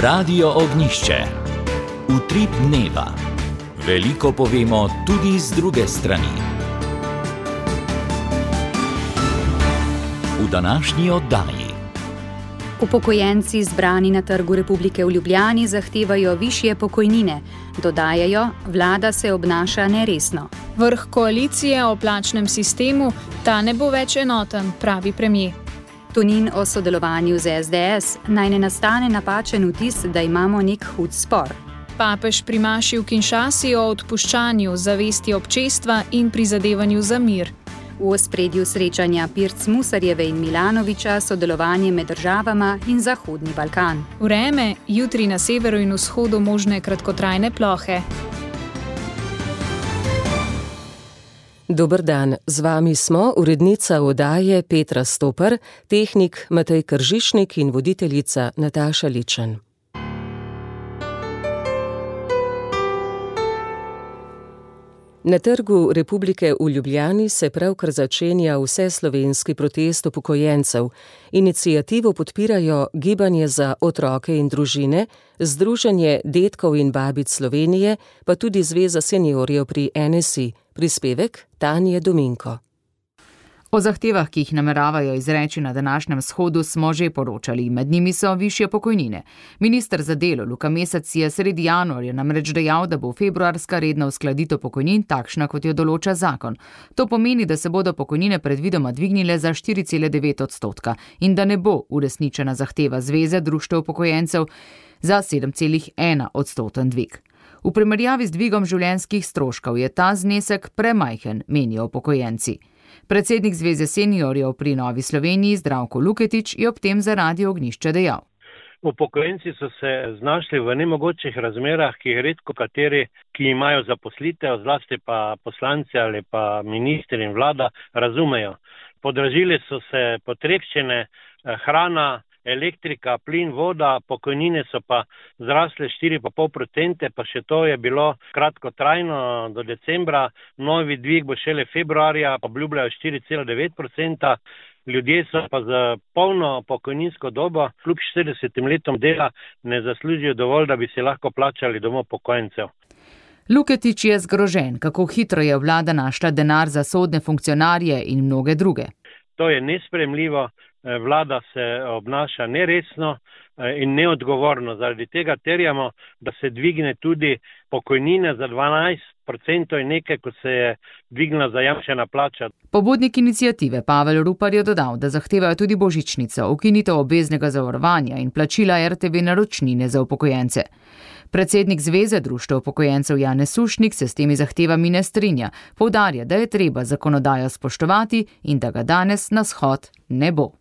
Radio Ognišče. Utrip dneva. Veliko povemo tudi z druge strani. V današnji oddaji. Upokojenci zbrani na Trgu Republike v Ljubljani zahtevajo višje pokojnine. Dodajajo, vlada se obnaša neresno. Vrh koalicije o plačnem sistemu, ta ne bo več enoten, pravi premier. Tonin o sodelovanju z SDS, naj ne nastane napačen vtis, da imamo nek hud spor. Papež pri maši v Kinshasi o odpuščanju, zavesti občestva in prizadevanju za mir. V ospredju srečanja Pirc Musarjeve in Milanovića sodelovanje med državama in Zahodni Balkan. Vreme, jutri na severu in vzhodu možne kratkotrajne plohe. Dober dan, z vami smo urednica oddaje Petra Stoper, tehnik Matej Kržišnik in voditeljica Nataša Ličen. Na Trgu Republike v Ljubljani se pravkar začenja vseslovenski protest upokojencev. Iniciativo podpirajo Gibanje za otroke in družine, Združenje dedkov in babic Slovenije, pa tudi Zveza seniorjev pri NSI. Prispevek Tanje Dominko. O zahtevah, ki jih nameravajo izreči na današnjem shodu, smo že poročali. Med njimi so višje pokojnine. Minister za delo Luka Mesec je sredi januarja namreč dejal, da bo februarska redna uskladitev pokojnin takšna, kot jo določa zakon. To pomeni, da se bodo pokojnine predvidoma dvignile za 4,9% in da ne bo uresničena zahteva Zveze društev upokojencev za 7,1% dvig. V primerjavi z dvigom življenjskih stroškov je ta znesek premajhen, menijo upokojenci. Predsednik Zveze seniorjev pri Novi Sloveniji Zdravko Luketič je ob tem za Radio Ognišče dejal. Upokojenci so se znašli v nemogočih razmerah, ki jih redko kateri, ki imajo zaposlitev, zlasti pa poslanci ali pa ministri in vlada, razumejo. Podražili so se potrebščine, hrana, elektrika, plin, voda, pokojnine so pa zrasle 4,5%, pa še to je bilo kratkotrajno do decembra, novi dvig bo šele februarja, obljubljajo 4,9%. Ljudje so pa za polno pokojninsko dobo, kljub 40 letom dela, ne zaslužijo dovolj, da bi si lahko plačali domov upokojencev. Luketič je zgrožen, kako hitro je vlada našla denar za sodne funkcionarje in mnoge druge. To je nesprejemljivo. Vlada se obnaša neresno in neodgovorno. Zaradi tega terjamo, da se dvigne tudi pokojnine za 12% in nekaj, ko se je dvignila zajamčena plača. Pobudnik iniciative Pavel Rupar je dodal, da zahtevajo tudi božičnico, ukinitev obveznega zavarovanja in plačila RTV naročnine za upokojence. Predsednik Zveze društev upokojencev Janez Sušnik se s temi zahtevami ne strinja. Poudarja, da je treba zakonodajo spoštovati in da ga danes na shod ne bo.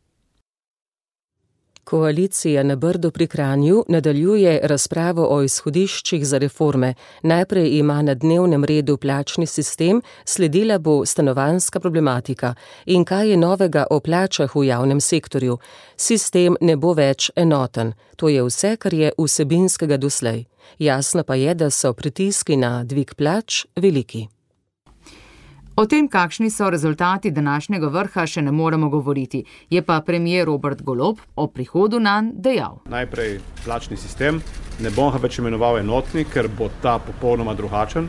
Koalicija na Brdu pri Kranju nadaljuje razpravo o izhodiščih za reforme. Najprej ima na dnevnem redu plačni sistem, sledila bo stanovanjska problematika. In kaj je novega o plačah v javnem sektorju? Sistem ne bo več enoten. To je vse, kar je vsebinskega doslej. Jasno pa je, da so pritiski na dvig plač veliki. O tem, kakšni so rezultati današnjega vrha, še ne moremo govoriti. Je pa premier Robert Golob o prihodu nanj dejal. Najprej plačni sistem. Ne bom ga več imenoval enotni, ker bo ta popolnoma drugačen.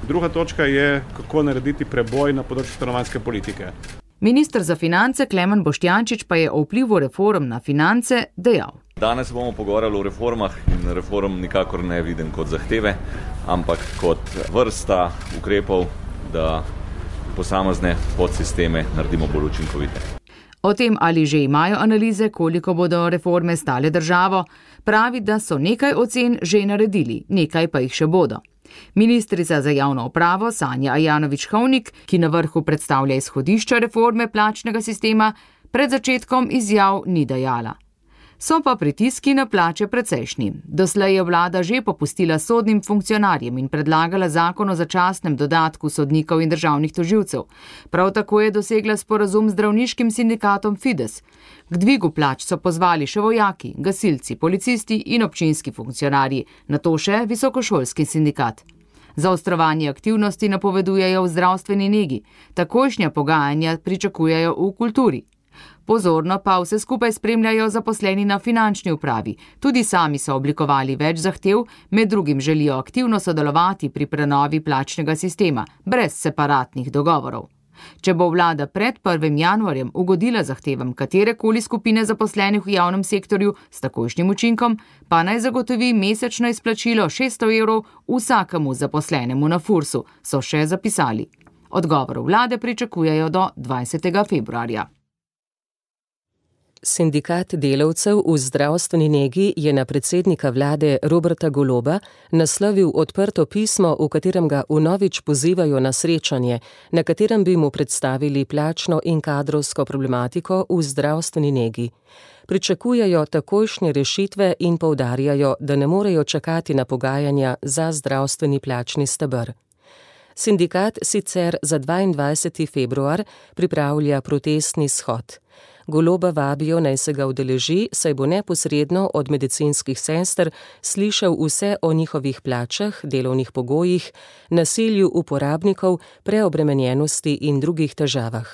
Druga točka je, kako narediti preboj na področju stanovanjske politike. Minister za finance Klemen Boštjančič pa je o vplivu reform na finance dejal. Danes bomo pogovarjali o reformah in reform nikakor ne vidim kot zahteve, ampak kot vrsta ukrepov, da posamezne podsisteme naredimo bolj učinkovite. O tem, ali že imajo analize, koliko bodo reforme stale državo, pravi, da so nekaj ocen že naredili, nekaj pa jih še bodo. Ministrica za javno upravo Sanja Ajanović-Hovnik, ki na vrhu predstavlja izhodišča reforme plačnega sistema, pred začetkom izjav ni dajala. So pa pritiski na plače precejšnji. Doslej je vlada že popustila sodnim funkcionarjem in predlagala zakon o začasnem dodatku sodnikov in državnih tožilcev. Prav tako je dosegla sporazum z zdravniškim sindikatom Fides. K dvigu plač so pozvali še vojaki, gasilci, policisti in občinski funkcionarji, nato še visokošolski sindikat. Zaostrovanje aktivnosti napovedujejo v zdravstveni negi, takojšnja pogajanja pričakujejo v kulturi. Pozorno pa vse skupaj spremljajo zaposleni na finančni upravi. Tudi sami so oblikovali več zahtev, med drugim želijo aktivno sodelovati pri prenovi plačnega sistema, brez separatnih dogovorov. Če bo vlada pred 1. januarjem ugodila zahtevam katerekoli skupine zaposlenih v javnem sektorju s takojšnjim učinkom, pa naj zagotovi mesečno izplačilo 600 evrov vsakemu zaposlenemu na Fursu, so še zapisali. Odgovor vlade pričakujejo do 20. februarja. Sindikat delavcev v zdravstveni negi je na predsednika vlade Roberta Goloba naslovil odprto pismo, v katerem ga vnovič pozivajo na srečanje, na katerem bi mu predstavili plačno in kadrovsko problematiko v zdravstveni negi. Pričakujejo takojšnje rešitve in poudarjajo, da ne morejo čakati na pogajanja za zdravstveni plačni steber. Sindikat sicer za 22. februar pripravlja protestni shod. Goloba vabijo, naj se ga udeleži, saj bo neposredno od medicinskih sester slišal vse o njihovih plačah, delovnih pogojih, nasilju uporabnikov, preobremenjenosti in drugih težavah.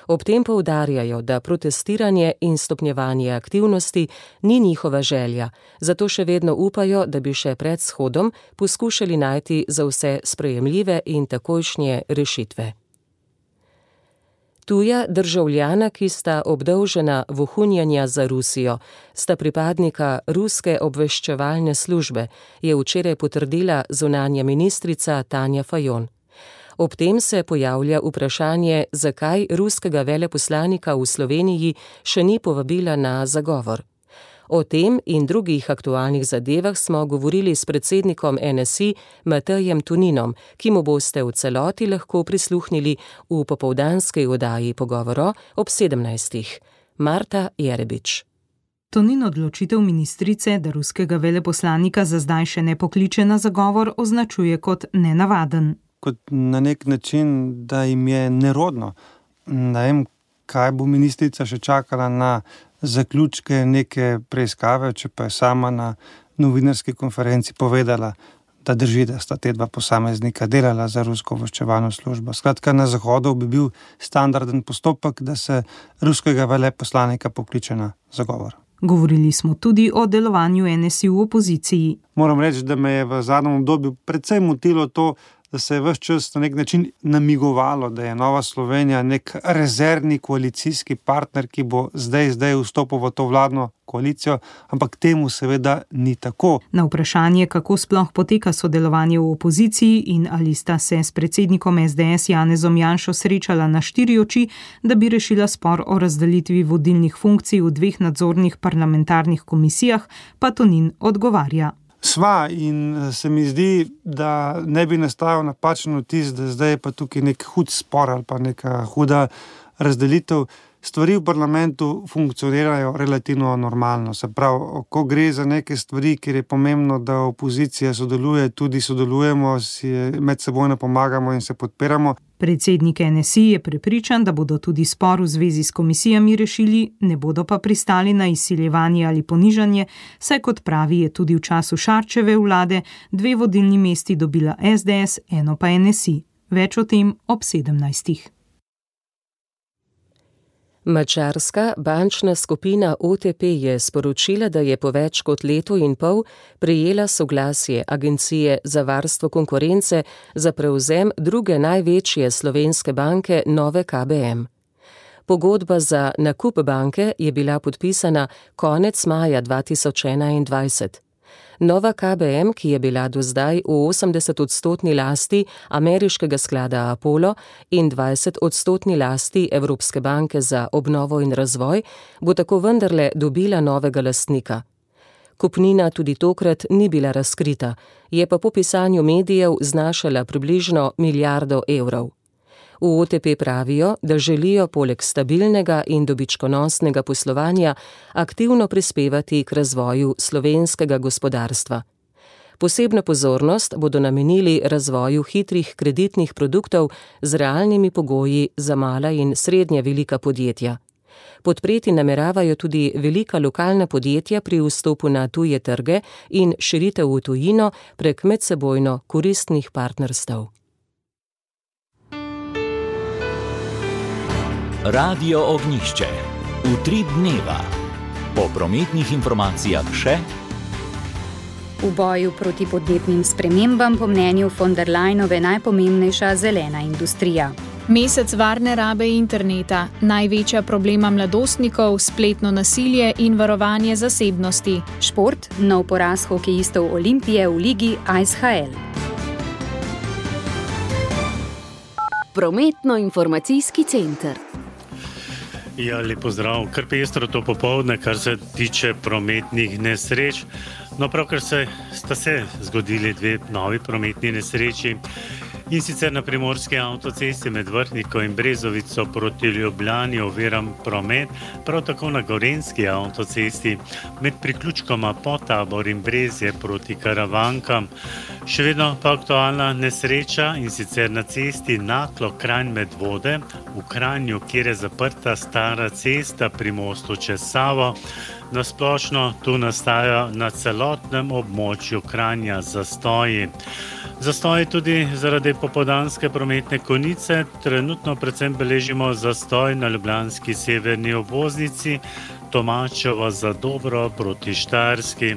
Ob tem poudarjajo, da protestiranje in stopnjevanje aktivnosti ni njihova želja, zato še vedno upajo, da bi še pred shodom poskušali najti za vse sprejemljive in takojšnje rešitve. Tuja državljana, ki sta obdolžena vohunjanja za Rusijo, sta pripadnika ruske obveščevalne službe, je včeraj potrdila zunanja ministrica Tanja Fajon. Ob tem se pojavlja vprašanje, zakaj ruskega veleposlanika v Sloveniji še ni povabila na zagovor. O tem in drugih aktualnih zadevah smo govorili s predsednikom NSI Matejem Toninom, ki mu boste v celoti lahko prisluhnili v popoldanski oddaji Pogovoro ob 17. Marta Jerebič. Tonin odločitev ministrice, da ruskega veleposlanika za zdaj še ne pokliče na zagovor, označuje kot nenavaden. Kot na nek način, da jim je nerodno. Ne vem, kaj bo ministrica še čakala na zaključke neke preiskave, če pa je sama na novinarski konferenci povedala, da drži, da sta te dva posameznika delala za rusko obveščevalno službo. Skratka, na Zahodu bi bil standarden postopek, da se ruskega veleposlanika pokliče na zagovor. Govorili smo tudi o delovanju NSI v opoziciji. Moram reči, da me je v zadnjem obdobju predvsem motilo to, da se je ves čas na nek način namigovalo, da je Nova Slovenija nek rezervni koalicijski partner, ki bo zdaj vstopil v to vladno koalicijo, ampak temu seveda ni tako. Na vprašanje, kako sploh poteka sodelovanje v opoziciji in ali sta se s predsednikom SDS Janezom Janšo srečala na 4 oči, da bi rešila spor o razdelitvi vodilnih funkcij v 2 nadzornih parlamentarnih komisijah, pa Tonin odgovarja. Sva in se mi zdi, da ne bi nastajal napačen vtis, da zdaj je pa tukaj nek hud spor ali pa neka huda razdelitev. Stvari v parlamentu funkcionirajo relativno normalno. Se pravi, ko gre za neke stvari, kjer je pomembno, da opozicija sodeluje, tudi sodelujemo, si med sebojno pomagamo in se podpiramo. Predsednik NSI je prepričan, da bodo tudi spor v zvezi s komisijami rešili, ne bodo pa pristali na izsiljevanje ali ponižanje, saj kot pravi, je tudi v času Šarčeve vlade 2 vodilni mesti dobila SDS, eno pa NSI. Več o tem ob 17. Madžarska bančna skupina OTP je sporočila, da je po več kot letu in pol prejela soglasje Agencije za varstvo konkurence za prevzem druge največje slovenske banke Nove KBM. Pogodba za nakup banke je bila podpisana konec maja 2021. Nova KBM, ki je bila do zdaj v 80% lasti ameriškega sklada Apollo in 20% lasti Evropske banke za obnovo in razvoj, bo tako vendarle dobila novega lastnika. Kupnina tudi tokrat ni bila razkrita, je pa po pisanju medijev znašala približno 1 milijardo evrov. V OTP pravijo, da želijo poleg stabilnega in dobičkonosnega poslovanja aktivno prispevati k razvoju slovenskega gospodarstva. Posebno pozornost bodo namenili razvoju hitrih kreditnih produktov z realnimi pogoji za mala in srednje velika podjetja. Podpreti nameravajo tudi velika lokalna podjetja pri vstopu na tuje trge in širitev v tujino prek medsebojno koristnih partnerstev. Radio Ognjišče. Utrip dneva. Po prometnih informacijah še. V boju proti podnebnim spremembam po mnenju von der Leyenove najpomembnejša zelena industrija. Mesec varne rabe interneta, največja problema mladostnikov, spletno nasilje in varovanje zasebnosti. Šport, nov poraz hokejistov Olimpije v ligi ISHL. Prometno-informacijski center. Ja, lep pozdrav. Kar pestro to popoldne, kar se tiče prometnih nesreč. No, pravkar sta se zgodili dve novi prometni nesreči. In sicer na primorski avtocesti med Vrhniko in Brezovico proti Ljubljani oviran promet, prav tako na gorenjski avtocesti med priključkoma Potabor in Brezje proti Karavankam. Še vedno pa aktualna nesreča in sicer na cesti Naklo-Kranj Medvode v Kranju, kjer je zaprta stara cesta pri mostu čez Savo. Na splošno tu nastajajo na celotnem območju Kranja zastoji. Zastoji tudi zaradi popoldanske prometne konice. Trenutno predvsem beležimo zastoj na ljubljanski severni obvoznici Tomačevo Zadobro proti Štajerski.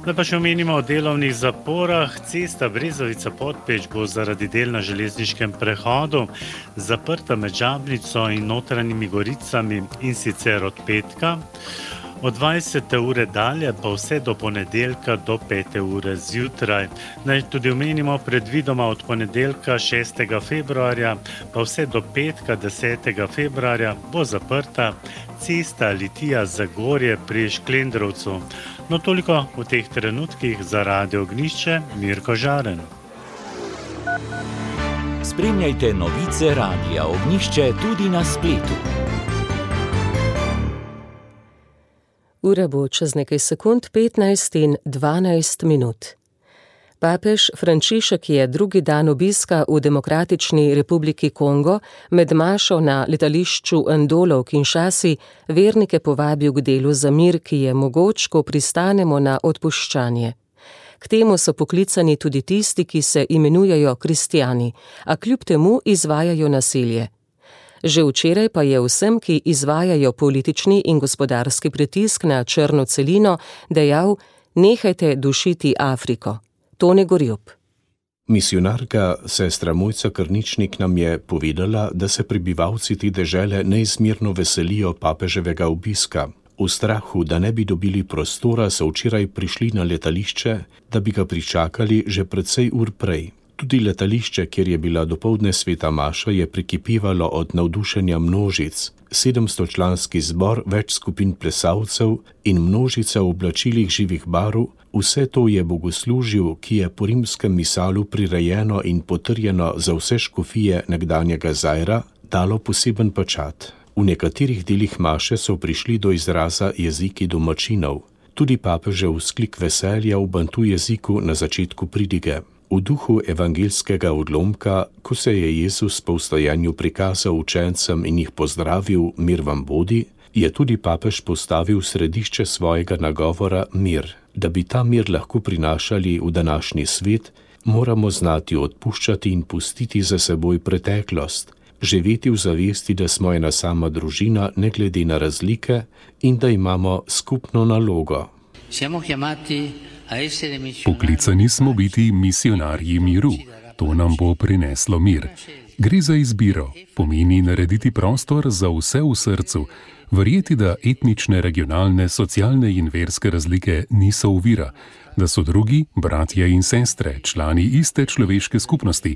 Da pa še omenimo o delovnih zaporah. Cesta Brezovica-Podpeč bo zaradi del na železniškem prehodu zaprta med Žabnico in Notranjimi Goricami in sicer od petka. Od 20. ure dalje pa vse do ponedeljka do 5. ure zjutraj. Naj tudi omenimo predvidoma od ponedeljka 6. februarja pa vse do petka 10. februarja bo zaprta cesta Litija-Zagorje pri Šklendrovcu. No, toliko v teh trenutkih za Radio Ognjišče, Mirko Žaren. Spremljajte novice Radia Ognjišče tudi na spletu. Ura bo čez nekaj sekund 15 in 12 minut. Papež Frančišek je drugi dan obiska v Demokratični republiki Kongo med mašo na letališču Ndolo v Kinshasi vernike povabil k delu za mir, ki je mogoč, ko pristanemo na odpuščanje. K temu so poklicani tudi tisti, ki se imenujejo kristjani, a kljub temu izvajajo nasilje. Že včeraj pa je vsem, ki izvajajo politični in gospodarski pritisk na črno celino, dejal: nehajte dušiti Afriko. Tone Gorjup. Misijonarka sestra Mojca Krničnik nam je povedala, da se prebivalci te dežele neizmerno veselijo papeževega obiska. V strahu, da ne bi dobili prostora, so včeraj prišli na letališče, da bi ga pričakali že precej ur prej. Tudi letališče, kjer je bila dopoldne sveta maša, je prekipevalo od navdušenja množic. 700-članski zbor, več skupin plesalcev in množica v oblačilih živih barv, vse to je bogoslužju, ki je po rimskem misalu prirejeno in potrjeno za vse škofije nekdanjega Zaira, dalo poseben pečat. V nekaterih delih maše so prišli do izraza jeziki domačinov. Tudi papežev vzklik veselja v bantu jeziku na začetku pridige. V duhu evangeljskega odlomka, ko se je Jezus po vstajanju prikazal učencem in jih pozdravil, mir vam bodi, je tudi papež postavil središče svojega nagovora mir. Da bi ta mir lahko prinašali v današnji svet, moramo znati odpuščati in pustiti za seboj preteklost, živeti v zavesti, da smo ena sama družina, ne glede na razlike, in da imamo skupno nalogo. Poklicani smo biti misijonarji miru. To nam bo prineslo mir. Gre za izbiro, pomeni narediti prostor za vse v srcu, verjeti, da etnične, regionalne, socialne in verske razlike niso ovira, da so drugi, bratje in sestre, člani iste človeške skupnosti,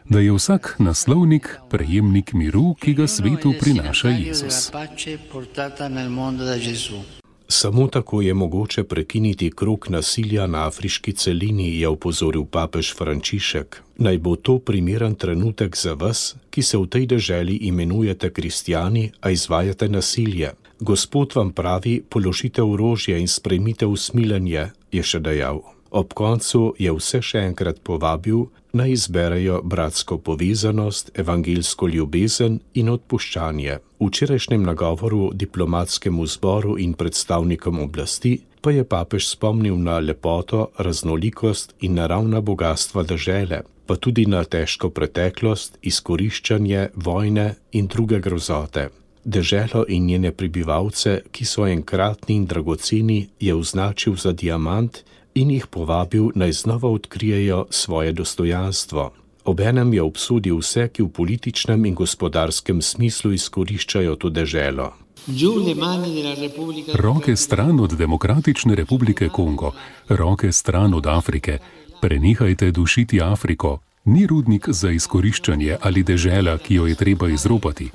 da je vsak naslovnik, prejemnik miru, ki ga svetu prinaša Jezus. Samo tako je mogoče prekiniti krog nasilja na afriški celini, je opozoril papež Frančišek. Naj bo to primeren trenutek za vas, ki se v tej deželi imenujete kristjani, a izvajate nasilje. Gospod vam pravi, položite orožje in sprejmite usmiljenje, je še dejal. Ob koncu je vse še enkrat povabil, naj izberejo bratsko povezanost, evangeljsko ljubezen in odpuščanje. V včerajšnjem nagovoru diplomatskemu zboru in predstavnikom oblasti pa je papež spomnil na lepoto, raznolikost in naravna bogatstva dežele, pa tudi na težko preteklost, izkoriščanje, vojne in druge grozote. Deželo in njene prebivalce, ki so enkratni in dragoceni, je označil za diamant in jih povabil, naj znova odkrijejo svoje dostojanstvo. Obenem je obsodil vse, ki v političnem in gospodarskem smislu izkoriščajo to deželo. Roke stran od Demokratične republike Kongo, roke stran od Afrike. Prenehajte dušiti Afriko. Ni rudnik za izkoriščanje ali dežela, ki jo je treba izropati.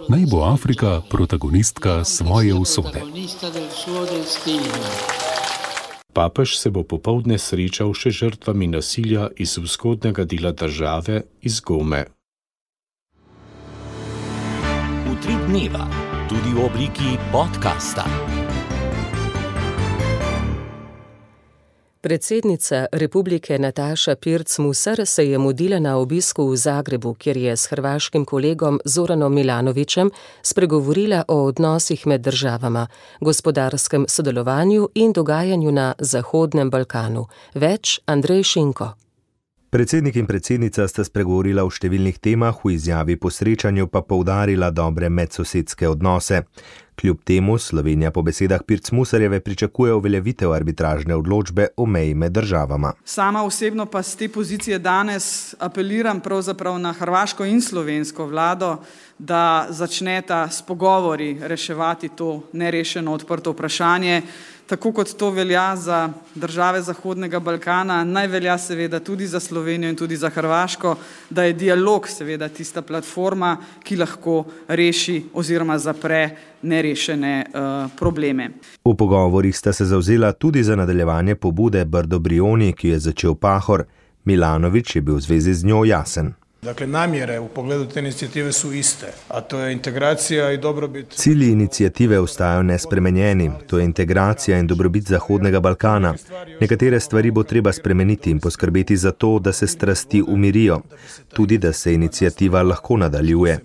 Naj bo Afrika protagonistka svoje usode. Papež se bo popoldne srečal še žrtvami nasilja iz vzhodnega dela države, iz Gome. Utrip dneva, tudi v obliki podcasta. Predsednica republike Nataša Pirc Musar se je mudila na obisku v Zagrebu, kjer je s hrvaškim kolegom Zoranom Milanovićem spregovorila o odnosih med državama, gospodarskem sodelovanju in dogajanju na Zahodnem Balkanu. Več Andrej Šinko. Predsednik in predsednica sta spregovorila o številnih temah, v izjavi po srečanju pa poudarila dobre medsosedske odnose. Kljub temu Slovenija po besedah Pirc Musarjeve pričakuje uveljavitev arbitražne odločbe o meji med državama. Sama osebno pa z te pozicije danes apeliram pravzaprav na hrvaško in slovensko vlado, da začneta s pogovori reševati to nerešeno odprto vprašanje. Tako kot to velja za države Zahodnega Balkana, naj velja seveda tudi za Slovenijo in tudi za Hrvaško, da je dialog seveda tista platforma, ki lahko reši oziroma zapre nerešene probleme. V pogovorih sta se zavzela tudi za nadaljevanje pobude Brdo Brioni, ki je začel Pahor. Milanović je bil v zvezi z njo jasen. Dakle, namjere u pogledu te inicijative su iste, a to je integracija i dobrobit. Cilji inicijative ostajajo nespremenjeni, to je integracija in dobrobit Zahodnega Balkana. Nekatere stvari bo treba spremeniti in poskrbeti za to, da se strasti umirijo, tudi da se inicijativa lahko nadaljuje.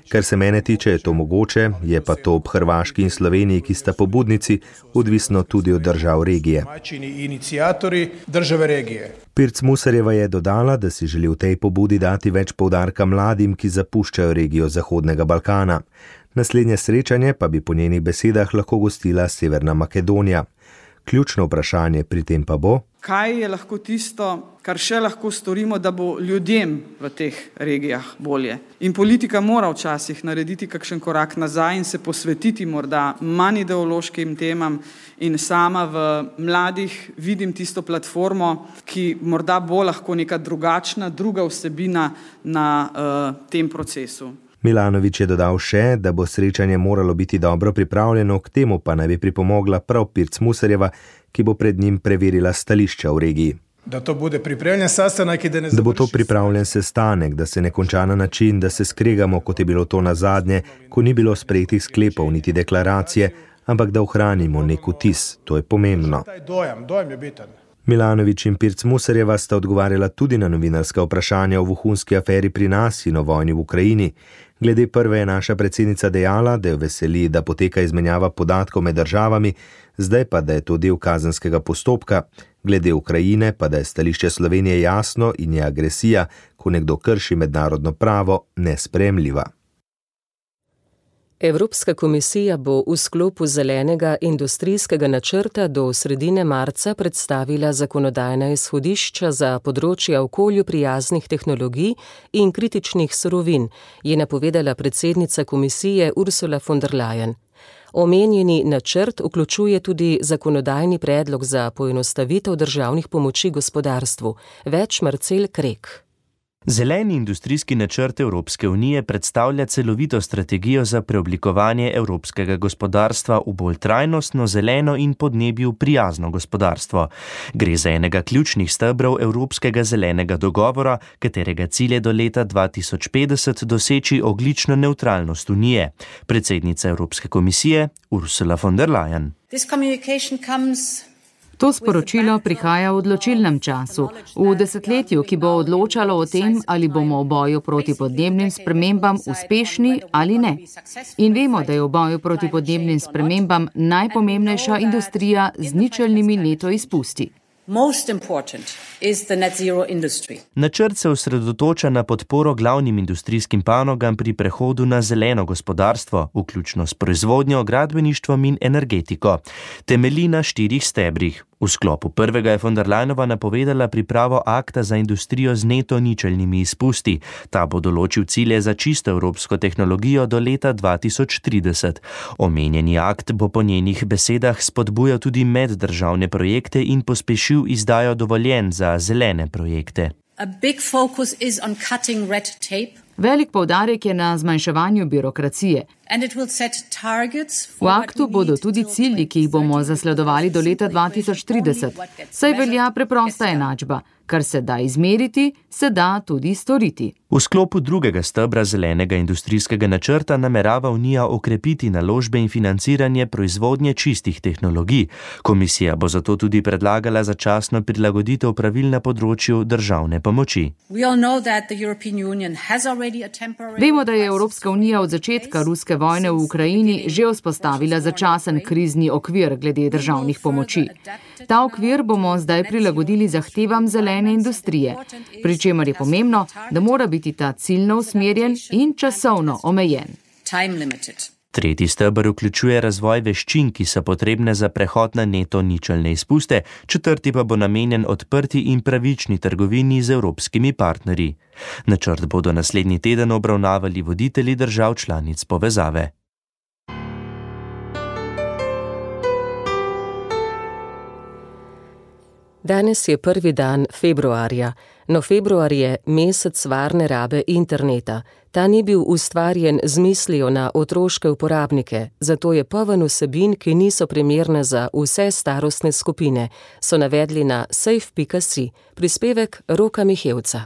Kar se mene tiče, je to mogoče, je pa to ob Hrvaški in Sloveniji, ki sta pobudnici, odvisno tudi od držav regije. Inicijatori države regije. Pirc Musarjeva je dodala, da si želi v tej pobudi dati več poudarka mladim, ki zapuščajo regijo Zahodnega Balkana. Naslednje srečanje pa bi po njenih besedah lahko gostila Severna Makedonija. Ključno vprašanje pri tem pa bo: kaj je lahko tisto, kar še lahko storimo, da bo ljudem v teh regijah bolje? In politika mora včasih narediti kakšen korak nazaj in se posvetiti morda manj ideološkim temam, in sama v mladih vidim tisto platformo, ki morda bo lahko neka drugačna, druga vsebina na tem procesu. Milanović je dodal še, da bo srečanje moralo biti dobro pripravljeno, k temu pa naj bi pripomogla prav Pirc Musarjeva, ki bo pred njim preverila stališča v regiji. Da to bude pripravljen sestanek, da bo to pripravljen sestanek, da se ne konča na način, da se skregamo, kot je bilo to nazadnje, ko ni bilo sprejetih sklepov niti deklaracije, ampak da ohranimo nek vtis. To je pomembno. Dojem je bitan. Milanović in Pirc Musarjeva sta odgovarjala tudi na novinarska vprašanja o vohunski aferi pri nas in o vojni v Ukrajini. Glede prve je naša predsednica dejala, da jo veseli, da poteka izmenjava podatkov med državami, zdaj pa, da je to del kazenskega postopka. Glede Ukrajine pa, da je stališče Slovenije jasno in je agresija, ko nekdo krši mednarodno pravo, nesprejemljiva. Evropska komisija bo v sklopu zelenega industrijskega načrta do sredine marca predstavila zakonodajna izhodišča za področja okolju prijaznih tehnologij in kritičnih surovin, je napovedala predsednica komisije Ursula von der Leyen. Omenjeni načrt vključuje tudi zakonodajni predlog za poenostavitev državnih pomoči gospodarstvu. Več Marcel Krek. Zeleni industrijski načrt Evropske unije predstavlja celovito strategijo za preoblikovanje evropskega gospodarstva v bolj trajnostno, zeleno in podnebju prijazno gospodarstvo. Gre za enega ključnih stebrov Evropskega zelenega dogovora, katerega cilj je do leta 2050 doseči ogljično nevtralnost Unije. Predsednica Evropske komisije Ursula von der Leyen. To sporočilo prihaja v odločilnem času, v desetletju, ki bo odločalo o tem, ali bomo v boju proti podnebnim spremembam uspešni ali ne. In vemo, da je v boju proti podnebnim spremembam najpomembnejša industrija z ničelnimi neto izpusti. Načrt se osredotoča na podporo glavnim industrijskim panogam pri prehodu na zeleno gospodarstvo, vključno s proizvodnjo, gradbeništvom in energetiko. Temelji na 4 stebrih. V sklopu prvega je von der Leyenova napovedala pripravo akta za industrijo z neto ničelnimi izpusti. Ta bo določil cilje za čisto evropsko tehnologijo do leta 2030. Omenjeni akt bo po njenih besedah spodbujal tudi meddržavne projekte in pospešil izdajo dovoljenj za zelene projekte. Velik poudarek je na zmanjševanju birokracije. V aktu bodo tudi cilji, ki jih bomo zasledovali do leta 2030. Saj velja preprosta enačba. Kar se da izmeriti, se da tudi storiti. V sklopu drugega stebra zelenega industrijskega načrta namerava Unija okrepiti naložbe in financiranje proizvodnje čistih tehnologij. Komisija bo zato tudi predlagala začasno prilagoditev pravil na področju državne pomoči. Vemo, da je Evropska unija od začetka ruske vojne v Ukrajini že vzpostavila začasen krizni okvir glede državnih pomoči. Ta okvir bomo zdaj prilagodili zahtevam zelene industrije, pri čemer je pomembno, da mora biti ta ciljno usmerjen in časovno omejen. Tretji steber vključuje razvoj veščin, ki so potrebne za prehod na neto ničelne izpuste, četrti pa bo namenjen odprti in pravični trgovini z evropskimi partnerji. Načrt bodo naslednji teden obravnavali voditelji držav članic povezave. Danes je prvi dan februarja, no februar je mesec varne rabe interneta. Ta ni bil ustvarjen z mislijo na otroške uporabnike, zato je poln vsebin, ki niso primerne za vse starostne skupine, so navedli na safe.si, prispevek Roka Mihevca.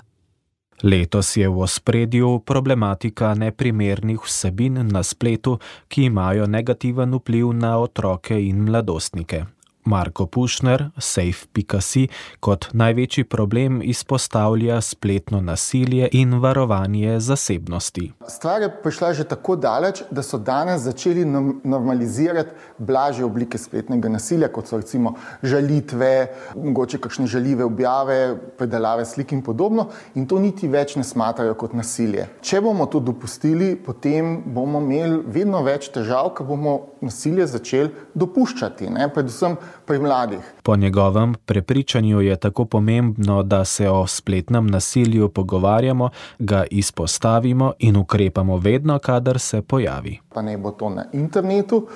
Letos je v ospredju problematika neprimernih vsebin na spletu, ki imajo negativen vpliv na otroke in mladostnike. Marko Pušner, safe.si, kot največji problem izpostavlja spletno nasilje in varovanje zasebnosti. Stvar je prišla že tako daleč, da so danes začeli normalizirati blažje oblike spletnega nasilja, kot so recimo žalitve, mogoče kakšne žaljive objave, predelave slik in podobno, in to niti več ne smatrajo kot nasilje. Če bomo to dopustili, potem bomo imeli vedno več težav, ker bomo nasilje začeli dopuščati, predvsem pri mladih. Po njegovem prepričanju je tako pomembno, da se o spletnem nasilju pogovarjamo, ga izpostavimo in ukrepamo vedno, kadar se pojavi. Pa naj bo to na internetu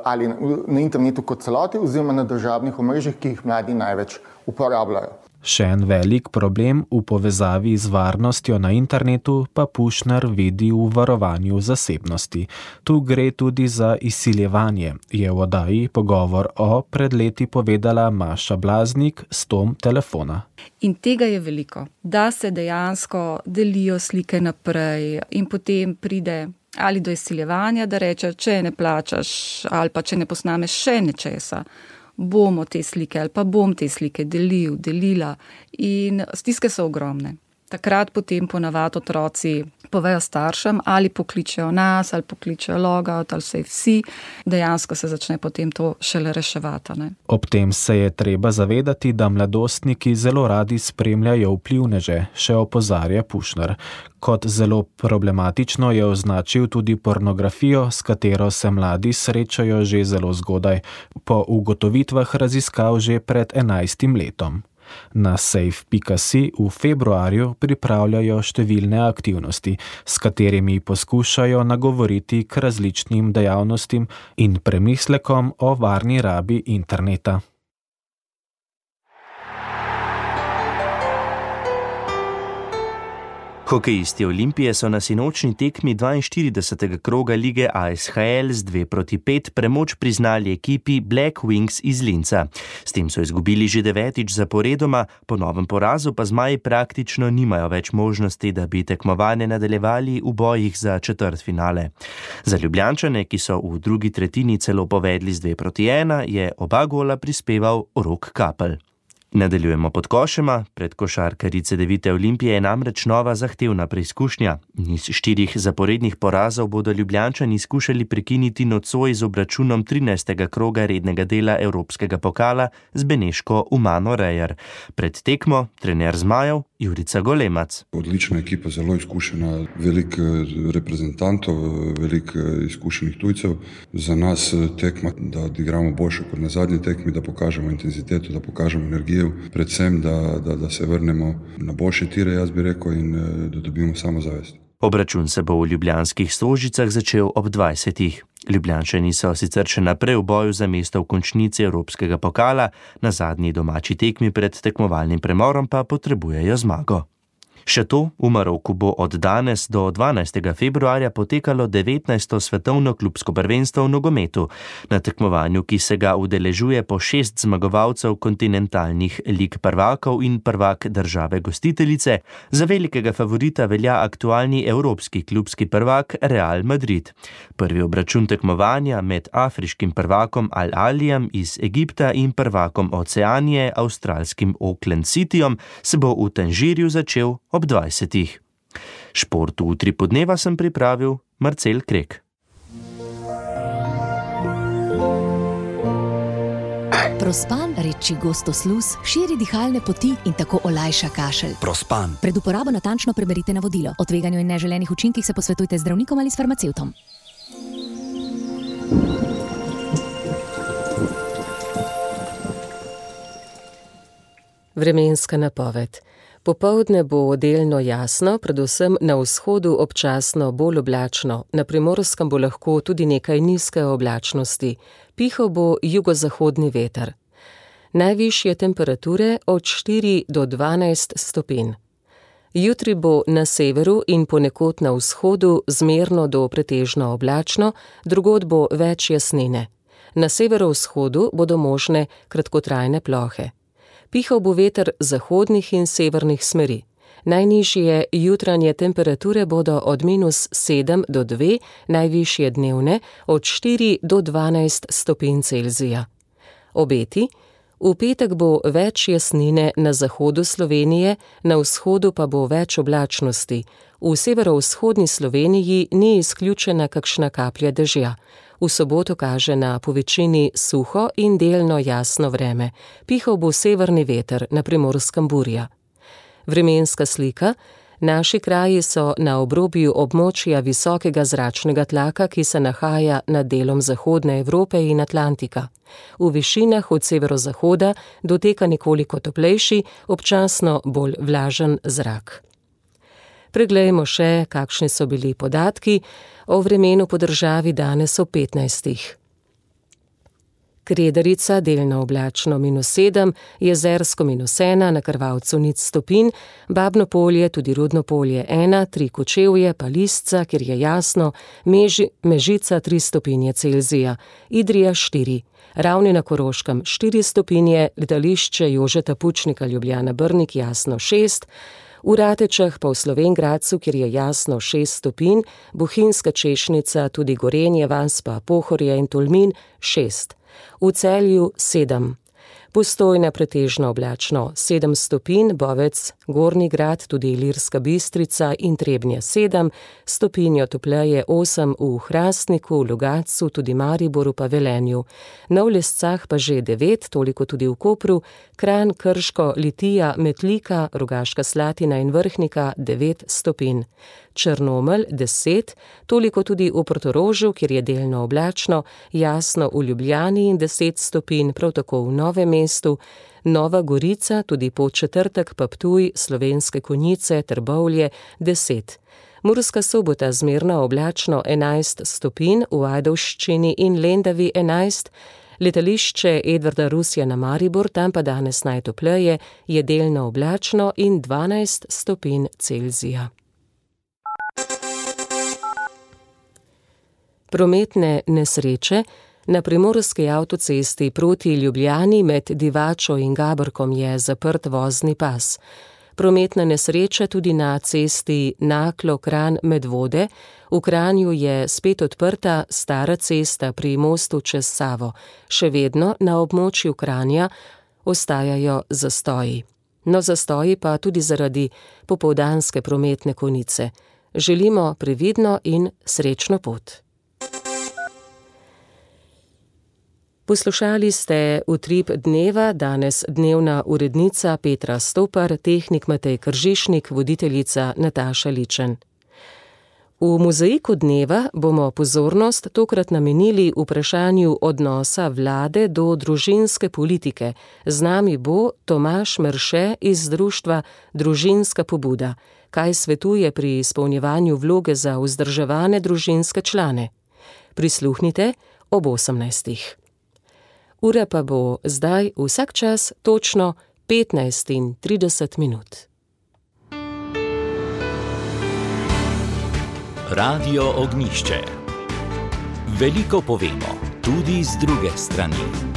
ali na internetu kot celoti oziroma na družabnih omrežjih, ki jih mladi največ uporabljajo. Še en velik problem v povezavi z varnostjo na internetu pa Pušner vidi v varovanju zasebnosti. Tu gre tudi za izsiljevanje, je v oddaji Pogovor pred leti povedala Maša Blaznik s tom telefona. In tega je veliko, da se dejansko delijo slike naprej in potem pride ali do izsiljevanja, da reče, če ne plačaš ali pa če ne posnameš še nečesa, bomo te slike ali pa bom te slike delila in stiske so ogromne. Takrat potem ponavadi otroci povejo staršem ali pokličejo nas ali pokličejo logout ali safe.si, dejansko se začne potem to šele reševati. Ne? Ob tem se je treba zavedati, da mladostniki zelo radi spremljajo vplivneže, še opozarja Pušner. Kot zelo problematično je označil tudi pornografijo, s katero se mladi srečajo že zelo zgodaj, po ugotovitvah raziskav že pred 11 letom. Na safe.si v februarju pripravljajo številne aktivnosti, s katerimi poskušajo nagovoriti k različnim dejavnostim in premislekom o varni rabi interneta. Hokejisti Olimpije so na sinočni tekmi 42. kroga lige ASHL z 2-5 premoč priznali ekipi Black Wings iz Linca. S tem so izgubili že 9. zaporedoma, po novem porazu pa zmaji praktično nimajo več možnosti, da bi tekmovanje nadaljevali v bojih za četrtfinale. Za Ljubljančane, ki so v drugi tretjini celo povedli z 2-1, je oba gola prispeval Rok Kapelj. Nadaljujemo pod košema. Pred košarkarji Cedevite Olimpije je namreč nova zahtevna preizkušnja. Niz 4 zaporednih porazov bodo Ljubljančani skušali prekiniti nocoj z obračunom 13. kroga rednega dela Evropskega pokala z beneško Umano Rejer. Pred tekmo trener zmajev Jurica Golemac. Odlična ekipa, zelo izkušena, veliko reprezentantov, veliko izkušenih tujcev. Za nas tekma, da odigramo boljše kot na zadnji tekmi, da pokažemo intenziteto, da pokažemo energijo, predvsem, da se vrnemo na boljše tire, jaz bi rekel, in da dobimo samozavest. Obračun se bo v ljubljanskih Stožicah začel ob 20. Ljubljančani so sicer še naprej v boju za mesto v končnici Evropskega pokala, na zadnji domači tekmi pred tekmovalnim premorom pa potrebujejo zmago. Še to, v Maroku bo od danes do 12. februarja potekalo 19. svetovno klubsko prvenstvo v nogometu. Na tekmovanju, ki se ga udeležuje po 6 zmagovalcev kontinentalnih lig prvakov in prvak države gostiteljice, za velikega favorita velja aktualni evropski klubski prvak Real Madrid. Prvi obračun tekmovanja med afriškim prvakom Al-Alijem iz Egipta in prvakom Oceanije, avstralskim Auckland Cityjem, se bo v Tanžirju začel ob 20. Šport v Utripu dneva sem pripravil Marcel Krek. Prospan, reči gostosluz, širi dihalne poti in tako olajša kašelj. Prospan. Pred uporabo natančno preberite navodilo. O tveganju in neželenih učinkih se posvetujte z zdravnikom ali s farmacevtom. Vremenska napoved. Popoldne bo delno jasno, predvsem na vzhodu občasno bolj oblačno, na Primorskem bo lahko tudi nekaj nizke oblačnosti. Pihal bo jugozahodni veter. Najvišje temperature od 4 do 12 stopinj. Jutri bo na severu in ponekod na vzhodu zmerno do pretežno oblačno, drugod bo več jasnine. Na severovzhodu bodo možne kratkotrajne plohe. Pihal bo veter zahodnih in severnih smeri. Najnižje jutranje temperature bodo od -7 do 2, najvišje dnevne od 4 do 12 stopinj Celzija. Obeti. V petek bo več jasnine na zahodu Slovenije, na vzhodu pa bo več oblačnosti. V severovzhodni Sloveniji ni izključena kakšna kaplja dežja. V soboto kaže na povečini suho in delno jasno vreme. Pihal bo severni veter, na Primorskem burja. Vremenska slika. Naši kraji so na obrobju območja visokega zračnega tlaka, ki se nahaja nad delom zahodne Evrope in Atlantika. V višinah od severozahoda doteka nekoliko toplejši, občasno bolj vlažen zrak. Preglejmo še, kakšni so bili podatki o vremenu po državi danes ob 15. Kredarica delno oblačno -7, Jezersko -1, na Krvavcu 0 stopinj, Babno Polje, tudi Rudno Polje 1, 3 Kočevje, pa Lisca, kjer je jasno, Mežica 3 stopinje Celzija, Idrija 4, Ravni na Koroškem 4 stopinje, letališče Jožeta Pučnika Ljubljana Brnik jasno 6, v Ratečah pa v Slovenj Gradcu, kjer je jasno 6 stopinj, Bohinjska Češnica, tudi Gorenje vas, pa Pohorje in Tolmin 6. V Celju 7, Postojna pretežno oblačno 7 stopinj, Bovec, Gornji Grad, tudi Ilirska Bistrica in Trebnje 7, stopinjo topleje 8 v Hrastniku, Logatcu, tudi Mariboru pa Velenju. Na Lescah pa že 9, toliko tudi v Kopru, Kranj, Krško, Litija, Metlika, Rogaška Slatina in Vrhnika 9 stopinj. Črnomelj 10, toliko tudi v Portorožu, kjer je delno oblačno, jasno v Ljubljani in 10 stopinj, prav tako v Novem mestu, Nova Gorica, tudi Podčetrtek pa Ptuj, Slovenske Konjice, Trbovlje 10. Murska Sobota zmerno oblačno 11 stopinj, v Ajdovščini in Lendavi 11, letališče Edvarda Rusja na Maribor, tam pa danes najtopleje, je delno oblačno in 12 stopinj Celzija. Prometne nesreče. Na primorski avtocesti proti Ljubljani med Divačo in Gabrkom je zaprt vozni pas. Prometna nesreča tudi na cesti Naklo-Kranj-Medvode. V Kranju je spet odprta stara cesta pri mostu čez Savo. Še vedno na območju Kranja ostajajo zastoji. No, zastoji pa tudi zaradi popoldanske prometne konice. Želimo previdno in srečno pot. Poslušali ste Utrip dneva, danes dnevna urednica Petra Stopar, tehnik Matej Kržišnik, voditeljica Nataša Ličen. V mozaiku dneva bomo pozornost tokrat namenili vprašanju odnosa vlade do družinske politike. Z nami bo Tomaž Merše iz društva Družinska pobuda. Kaj svetuje pri izpolnjevanju vloge za vzdrževane družinske člane? Prisluhnite ob 18. Ura pa bo zdaj vsak čas točno 15:30. Radio Ognjišče. Veliko povemo, tudi z druge strani.